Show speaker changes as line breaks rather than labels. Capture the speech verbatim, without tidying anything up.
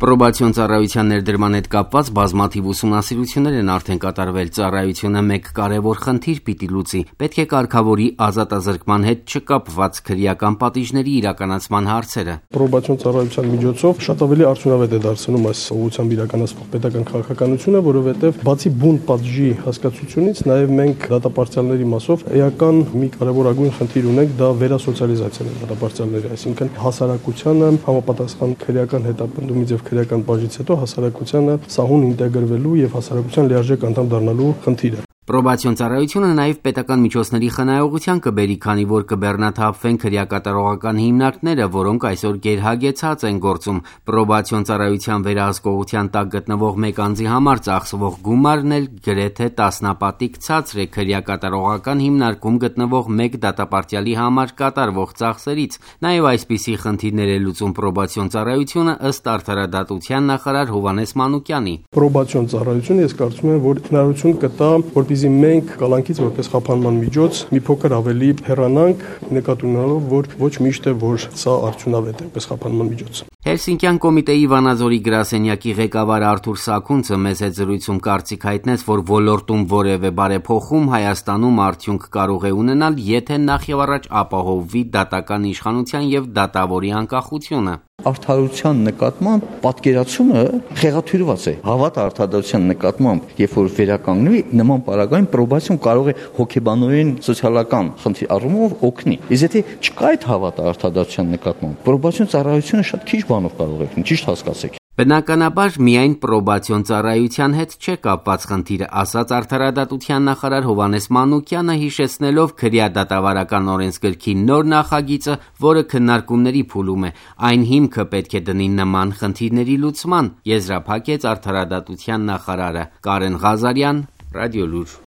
Պրոբացիոն ծառայության ներդրման հետ կապված բազմաթիվ ուսումնասիրություններ են արդեն կատարվել։ Ծառայությունը մեկ կարևոր խնդիր պիտի լուծի։ Պետք է կարգավորի ազատազրկման հետ չկապված քրեական պատիժների իրականացման հարցերը։
Պրոբացիոն ծառայության միջոցով շատ ավելի արդյունավետ է դարձնում այս ուղղությամբ իրականացվող պետական քաղաքականությունը, որովհետև բացի բուն պատժի հասկացությունից, նաև մենք դատապարտյալների մասով էական մի կարևորագույն խնդիր ունենք, դա վերասոցիալիզացիան է դատապարտյալների, այսինքն հասարակությանը համապատասխան քրեական հետապնդումից եւ քրեական բաժից հետո հասարակությանը սահուն ինտեգրվելու եւ հասարակության լիարժեք անդամ դառնալու խնդիրը։
Պրոբացիոն ծառայությունը նաև պետական միջոցների խնայողության կբերի, քանի որ կբեռնաթափվեն քրեակատարողական հիմնարկները, որոնք այսօր գերհագեցած են գործում։ Պրոբացիոն ծառայության վերահսկողության տակ գտնվող մեկ անձի համար ծախսվող գումարն էլ գրեթե տասնապատիկ ցածր է քրեակատարողական հիմնարկում գտնվող մեկ դատապարտյալի համար կատարվող ծախսերից։ Նաև այսպիսի խնդիրներ է լուծում պրոբացիոն ծառայությունը ըստ արդարադատության նախարար Հովհաննես Մանուկյանի։
Պրոբացիոն ծառայությունը ես կարծում եմ, որ հնարավորություն կտա, որպեսզի մենք կալանքից որպես խափանման միջոց մի փոքր ավելի հեռանանք, նկատի ունենալով, որ ոչ միշտ է, որ սա արդյունավետ է որպես խափանման միջոց։
Հելսինկյան կոմիտեի Վանաձորի գրասենյակի ղեկավար Արթուր Սաքունցը մեզ հետ զրույցում կարծիք հայտնեց, որ ոլորտում որևէ բարեփոխում Հայաստանում արդյունք կարող է ունենալ, եթե նախևառաջ ապահովվի դատական իշխանության եւ դատավորի անկախությունը։
Արդարության նկատմամբ պատկերացումը խեղաթյուրված է։ Հավատ արդարության նկատմամբ, երբ որ վերականգնվի, նման պարագայում պրոբացիոն կարող է հոգեբանորեն սոցիալական խնդրի առումով օգնի։ Իսկ եթե չկա այդ հավատը արդարության նկատմամբ, պրոբացիոն ծառայությունը շատ քիչ բանով կարող է օգնել, ճիշտ հասկացեք։
Բնականաբար միայն պրոբացիոն ծառայության հետ չէ կապված խնդիրը, ասաց արդարադատության նախարար Հովհաննես Մանուկյանը, հիշեցնելով քրեադատավարական օրենսգրքի նոր նախագիծը, որը քննարկումների փուլում է։ Այն հիմքը պետք է դնի նման խնդիրների լուծման, եզրափակեց արդարադատության նախարարը։ Կարեն Ղազարյան, Ռադիոլուր։